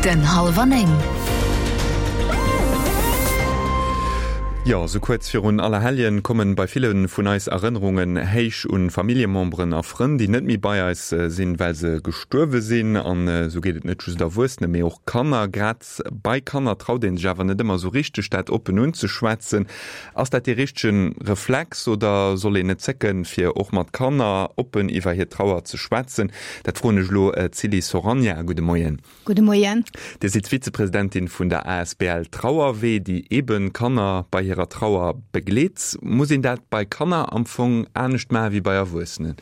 Den Hallwer 9. Jo, sou kuerz virun Allerhelljen kommen bei ville vun eis Erënnerungen héich un Familljememberen a Frënn, déi net méi bei eis sinn, well se gestuerwe sinn. An esou geet et net just Erwuessene, mee och Kanner. Grad bei Kanner traut een sech awer net ëmmer sou richteg, dat oppen unzeschwätzen. Ass dat dee richtegen Reflex oder soll een net zécken, fir och mat Kanner oppen iwwer hir Trauer ze schwätzen? Dat froen ech elo d'Silly Soragna. Gudde Moien. Gudde Moien. Dir sidd Vizepresidentin vun der asbl Trauerwee, déi eebe Kanner bei hirer Trauer begleet. Muss een dat bei Kanner am Fong anescht maache wéi bei Erwuessenen?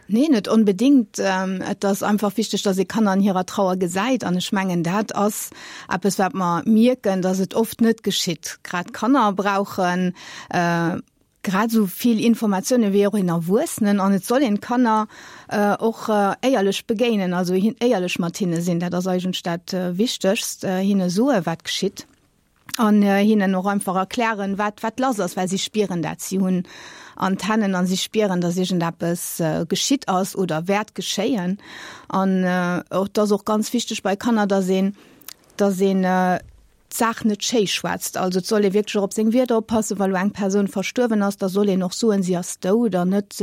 Nee, net onbedéngt. Et ass einfach wichteg, dass ee Kanner an hirer Trauer gesäit. An ech mengen, dat ass eppes, wat mer mierken, dass et oft net geschitt. Grad Kanner brauchen grad esou vill Informatioune wéi och een Erwuessenen. An et soll een d'Kanner och éierlech begéinen, also éierlech mat hinne sinn. Dat ass eigentlech dat Wichtegst, hinne soe wat geschitt an hinnen och einfach erklären, wat wat lass ass, well si spieren dat. Si hunn Antennen an si spieren, datt iergendeppes geschitt ass oder wäert geschéien. An et ass och ganz wichteg bei Kanner, datt een, datt een d'Saach net schéi schwätzt. Also et soll ee wierklech och op seng Wierder oppassen, wa lo eng Persoun verstuerwen ass, da soll een och soen, si ass dout an net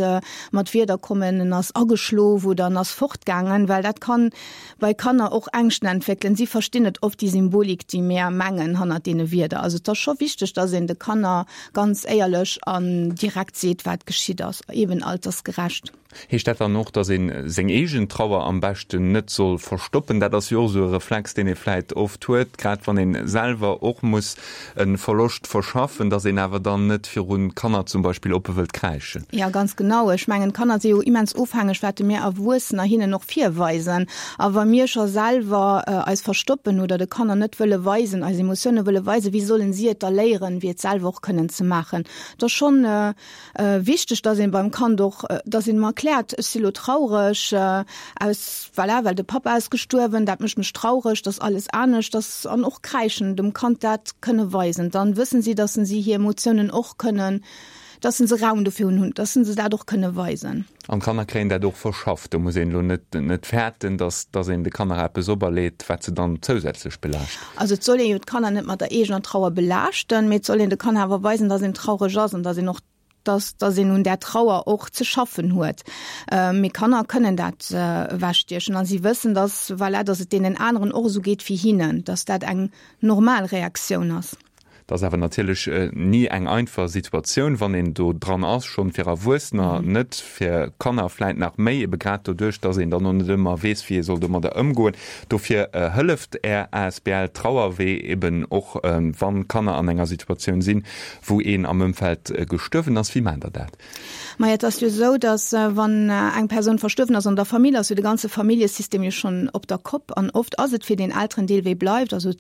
mat Wierder kommen, en ass ageschlof oder en ass fortgaangen, well dat kann bei Kanner och Ängschten entwéckelen. Si verstinn net oft déi Symbolik, déi mir mengen hannert deene Wierder. Also et ass scho wichteg, dass een de Kanner ganz éierlech an direkt seet, wat geschitt ass, eben altersgerecht. Heescht dat dann och, dass ee seng eegen Trauer am beschten net soll verstoppen? Dat ass jo och esou e Reflex, deen ee vläit oft huet, grad wann ee selwer och muss e Verloscht verschaffen, dass een awer dann net virun Kanner zum Beispill oppe wëllt kräischen. Jo, ganz genau. Ech mengen, d'Kanner si jo immens ofhängeg, wat mir Erwuessener hinnen och virweisen. A wa mir scho selwer eis verstoppen oder de Kanner net wëlle weisen, eis Emotioune wëlle weisen, wéi sollen si et da léieren, fir et selwer och kënnen ze maachen? Et ass schonn Wichteg, dass een beim Kand och, dass een em erkläert, ech si lo traureg aus, voilà, well de Papa ass gestuerwen, dat mécht mech traureg, dass alles anescht ass an och kräischen, dem Kand dat kënne weisen. Dann wëssen si, dass se hir Emotiounen och kënnen, dass se Raum dofir hunn, dass se dat och kënne weisen. An d'Kanner kréien dat och verschafft. Do muss een elo net net fäerten, dass dass een de Kanner eppes operleet, wat se dann zousätzlech belaascht. Also et soll ee jo d'Kanner net mat der eegener Trauer belaaschten, mee et soll een de Kanner awer weisen, dass een traureg ass an dass een och dass dass een un där Trauer och ze schaffen huet. Mee Kanner kënnen dat ewechstiechen a si wëssen, dass voilà, dass et deenen aneren och esou geet wéi hinnen, dass dat eng normal Reaktioun ass. Et ass awer natierlech ni eng einfach Situatioun, wann een do dran ass, schonn fir Erwuessener net, fir Kanner vläit nach méi, ebe grad doduerch, dass een dann och net ëmmer weess, wéi ee soll domadder ëmgoen. Dofir hëlleft Är asbl Trauerwee eben och, wann Kanner an enger Situatioun sinn, wou een am Ëmfeld gestuerwen ass. Wéi maacht Der dat? Maja, et ass jo esou, datt wann eng Persoun verstuerwen ass an der Famill, ass jo de ganze Familljesystem jo schonn op der Kopp. An oft ass et fir deen Elterendeel, wéi bleift. Also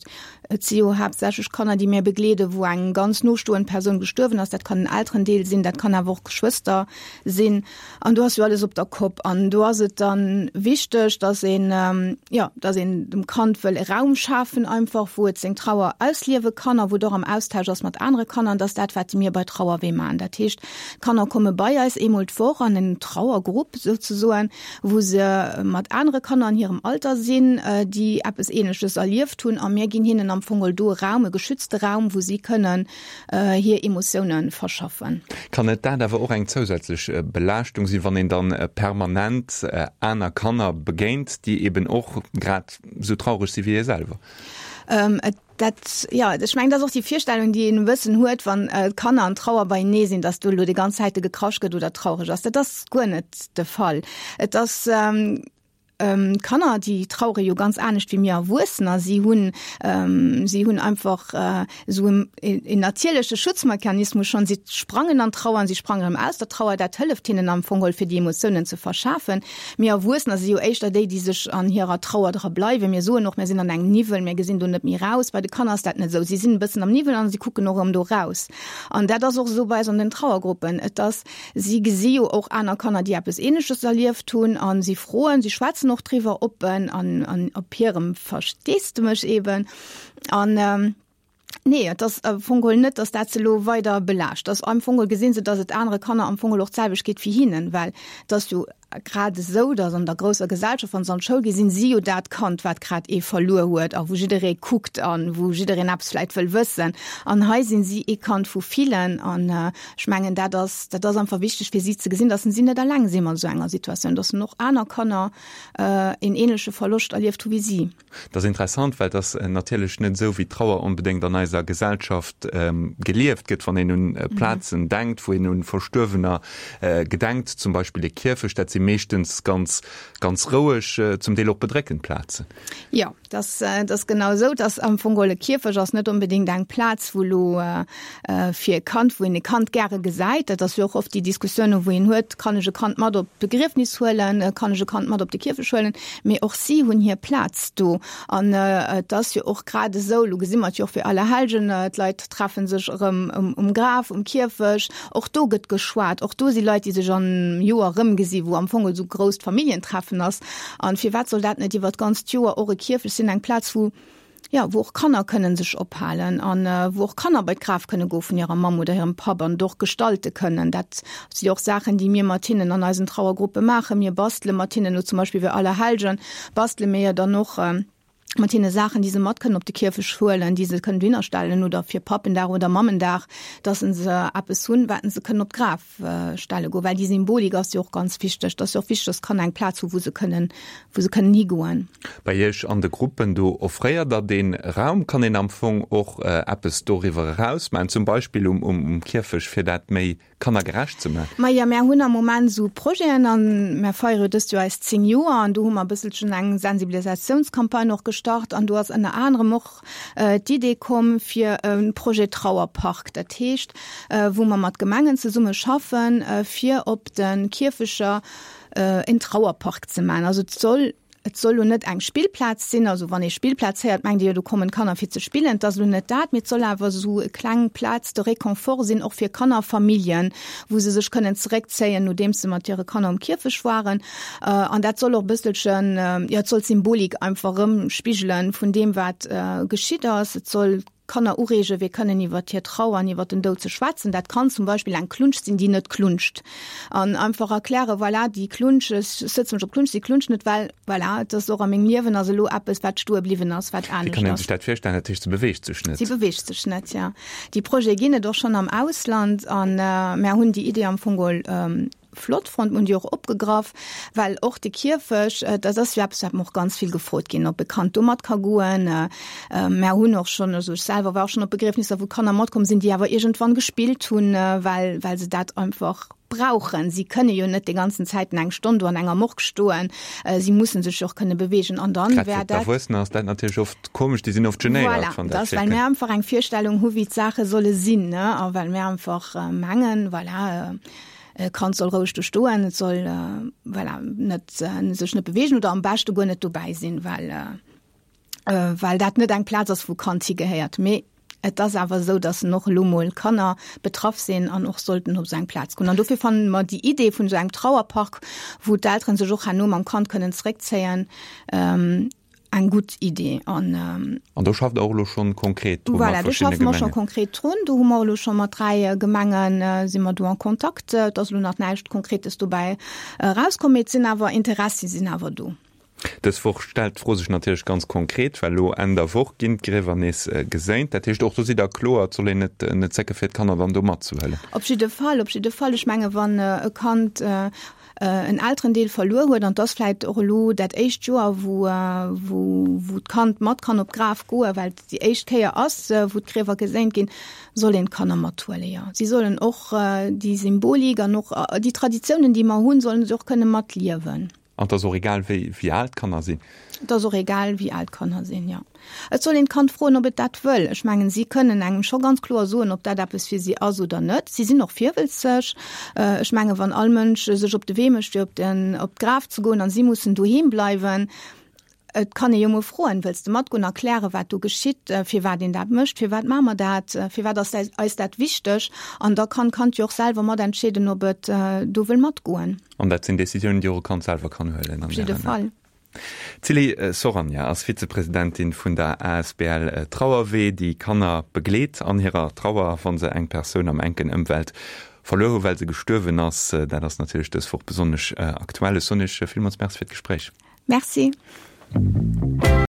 et si jo haaptsächlech Kanner, déi mir begleeden, wou eng ganz nostoend Persoun gestuerwen ass. Dat kann en Elterendeel sinn, dat kann awer och Geschwëster sinn. An do ass jo alles op der Kopp. An do ass et dann wichteg, datt een, jo, datt een dem Kand wëll e Raum schafen einfach, wou et seng Trauer ausliewe kann a wou et och am Austausch ass mat anere Kanner. An dat ass dat, wat mir bei Trauerwee maachen. Dat heescht, d'Kanner komme bei eis eemol d'Woch an en Trauergrupp souzesoen, wou se mat anere Kanner an hirem Alter sinn, déi eppes Ähnleches erlieft hunn. A mir ginn hinnen am Fong geholl do e Raum, e geschützte Raum, wou si kënnen hir Emotioune verschaffen. Kann net dat awer och eng zousätzlech Belaaschtung sinn, wann een dann permanent aner Kanner begéint, déi eben och grad esou traureg si wéi ee selwer? Dat, jo, ech mengen, dat ass och déi Virstellung, déi een e bëssen huet, wann d'Kanner an Trauer beienee sinn, datt do elo déi ganz Zäite gekrasch gëtt oder traureg ass. Dat ass guer net de Fall. Et ass, D'Kanner, déi trauere jo ganz anescht wéi mir Erwuessener. Si hunn, si hunn einfach esou en natierleche Schutzmechanismus schonn. Si sprangen an d'Trauer an si sprangen erëm aus der Trauer. Dat hëlleft hinnen am Fong geholl fir déi Emotiounen ze verschafen. Mir Erwuessener si jo éischter déi, déi sech an hirer Trauer dra bleiwen. Mir soen och, mir sinn an engem Niwwel, mir gesinn do net méi raus. Bei de Kanner ass dat net esou. Si sinn e bëssen am Niwwel an si kucken och erëm do raus. An dat ass och esou bei eis an den Trauergruppen. Et ass Si gesi jo och aner Kanner, déi eppes Ähnleches erlieft hunn a si froen, si schwätzen och driwwer oppen an an op hirem Versteesdemech eben. An nee, et ass am Fong geholl net, datt dat se elo weider belaascht. Ass am Fong geholl gesinn se, datt et anere Kanner am Fong geholl och d'selwecht geet wéi hinnen, well et ass jo. grad esou, datt an der grousser Gesellschaft, wann se an d'Schoul ginn, sinn si jo dat Kand, wat grad ee verluer huet a wou jidderee kuckt a wou jiddereen eppes vläicht wëll wëssen. An hei sinn si ee Kand vu villen an ech mengen, dat ass, dat ass einfach wichteg fir si ze gesinn, datt si net eleng si mat esou enger Situatioun, datt och aner Kanner een ähnleche Verloscht erlieft hu wéi si. Dat ass interessant, well et ass natierlech net esou, wéi d'Trauer onbedéngt an eiser Gesellschaft gelieft gëtt. Wann een un Plazen denkt, wou een un Verstuerwener gedenkt, zum Beispill e Kierfecht, dat si meeschtens ganz, ganz roueg, zum Deel och bedréckend Plazen. Jo, dat ass genau esou. Et ass am Fong geholl, e Kierfecht ass net onbedéngt eng Plaz, wou elo fir e Kand, wou een e Kand gäre gesäit. Dat ass jo och oft déi Diskussioune wou een huet, Kann ech e Kand mat op d'Begriefnis huelen? Kann ech e Kand mat op de Kierfecht huelen? Mee och si hunn hir Plaz do. An et ass jo och grad esou, elo gesi mer et jo och fir Allerhellgen, d'Leit treffe sech erëm um Graf, um Kierfecht. Och do gëtt geschwat. Och do si Leit, déi sech am Joer erëmgesi wou am Fong esou grousst Familljentreffen ass. An firwat soll dat net iwwer d'ganzt Joer och e Kierfecht sinn, eng Plaz, wou jo, wou och Kanner kënnen sech ophalen an wou och Kanner bei d'Graf kënne goe vun hirer Mamm oder hirem Papp an et och gestalte kënnen. Dat si och Saachen, déi mir mat hinnen an eisen Trauergruppe maachen. Mir bastele mat hinnen, elo zum Beispill fir Allerhellgen bastele mir jo dann och mat hinne Saachen, déi se mat kënnen op de Kierfecht huelen, déi se kënnen dohinner stellen oder fir Pappendag oder Mammendag, dass se eppes hunn, wat se kënnen op d'Graf stelle goen, well déi Symbolik ass jo och ganz wichteg. Et ass jo och wichteg, dass d'Kanner eng Plaz hu wou se kënnen, wou se kënnen higoen. Bei Iech an de Gruppen do offréiert Der dee Raum. Kann een am Fong och eppes doriwwer eraus maachen, zum Beispill um Kierfecht, fir dat méi kannergerecht ze maachen? Majo, mär hunn am Moment esou Projeten an mär feiere jo dëst Joer eis 10 Joer an do hu mer e bësselchen eng Sensibilisatiounscampagne och gestart an do ass ënner anerem och d'Idee komm fir e Projet Trauerpark, dat heescht wou mer mat Gemengen zesumme schaffen, fir op de Kierfecher en Trauerpark ze maachen. Also et soll, et soll lo net eng Spillplaz sinn, also wann ee Spillplaz héiert, mengt ee jo do kommen d'Kanner fir ze spillen. Et ass lo net dat, mee et soll awer esou e kleng Plaz de réconfort sinn, och fir Kannerfamilljen, wou se sech kënnen zeréckzéien, nodeems se mat hire Kanner um Kierfecht waren. An dat soll och e bësselchen, jo, et soll d'Symbolik einfach erëm spigelen vun deem, wat geschitt ass. Et soll d'Kanner ureegen, fir kënnen iwwer hir Trauer an iwwer den Doud ze schwätzen. Dat kann zum Beispill eng Klunsch sinn, déi net klunscht. An einfach erklären, voilà, déi Klunsch, ech sëtze mech op d'Klunsch, déi klunscht net, well, voilà, et ass och a mengem Liewen ass elo eppes, wat stoe bliwwen ass, wat anescht ass. Wéi kann ee sech dat virstellen? Dat heescht, se beweegt sech net? Si beweegt sech net, jo. Déi Projete ginn et och schonn am Ausland an mär hunn déi Idee am Fong geholl flott fonnt, mir hunn déi och opgegraff, well och de Kierfecht, dat ass jo eppes, wat mer och ganz vill gefrot ginn, ob e Kand do mat ka goen. Mär hunn och schonn, also ech selwer war och schonn op Begriefnisser, wou Kanner matkomm sinn, déi awer iergendwann gespillt hunn, well, well se dat einfach brauchen. Si kënne jo net déi ganzen Zäiten eng Stonn do an enger Morgue stoen, si mussen sech jo och kënne beweegen an dann wär dat. Grad fir d'Erwuessener ass dat natierlech oft komesch, déi sinn oft genéiert, wann dat Voilà, dat ass, well mär einfach eng Virstellung hu wéi d'Saache solle sinn, ne, a well mär einfach mengen, voilà, E Kand soll roueg do stoen, et soll voilà, net, sech net beweegen oder am beschte guer net dobäi sinn, well, well dat net eng Plaz ass, wou Kand higehéiert. Mee et ass awer esou, datt en och elo mol Kanner betraff sinn an och sollten op esou eng Plaz goen. An dofir fanne mer déi Idee vun esou engem Trauerpark, wou d'Elteren sech och herno mam Kand kënnen zeréckzéien, eng gutt Idee an. An do schafft Der och elo schonn konkret dru mat verschiddene Gemengen? Voilà, do schaffe mer scho konkret drun. Do hu mer elo scho mat 3 Gemenge si mer do en Kontakt. Et ass elo nach näischt Konkretes dobäi erauskomm, mee et sinn awer Interessi sinn awer do. Dës Woch stellt d'Fro sech natierlech ganz konkret, well elo Enn der Woch ginn d'Griewer nees geséint. Dat heescht, och do sidd Der kloer, et soll een net net zécke fir d'Kanner dann do matzehuelen. Op jidde Fall, op jidde Fall. Ech menge wann e Kand en Elterendeel verluer huet, an 't ass vläit och elo dat éischt Joer, wou, wou, wou d'Kand mat kann op d'Graf goen, well et déi éischt Kéier ass, wou d'Griewer geséint ginn, soll een d'Kanner mathuelen, jo. Si sollen och déi Symbolik an och déi Traditiounen, déi mer hunn, sollen se och kënne matliewen. An 't ass och egal, wéi, wéi al d'Kanner sinn? Et ass och egal, wéi al d'Kanner sinn, jo. Et soll een d'Kand froen, ob et dat wëll. Ech mengen, si kënnen engem scho ganz kloer soen, ob dat eppes fir si ass oder net. Si sinn och virwëlzeg. Ech mengen, wann all Mënsch sech op de Wee mécht, fir op den, op d'Graf ze goen, an si mussen doheem bleiwen, et kann ee jo mol froen, Wëlls de matgoen? Erklären, wat do geschitt, firwat een dat mécht, firwat maache mer dat, firwat ass eis dat wichteg? An da kann d'Kand jo och selwer mat entscheeden, ob et do wëll matgoen. An dat sinn Decisiounen, déi och e Kand selwer kann huelen. Op jidde Fall. D'Cilly Soragna ass Vizepresidentin vun der asbl Trauerwee, déi Kanner begleet an hirer Trauer, wa se eng Persoun am enken Ëmfeld. verluer hu well se gestuerwen ass. Dat ass natierlech dës Woch besonnesch aktuell. Ech soen Iech villmools Merci fir d'Gespréich. Merci.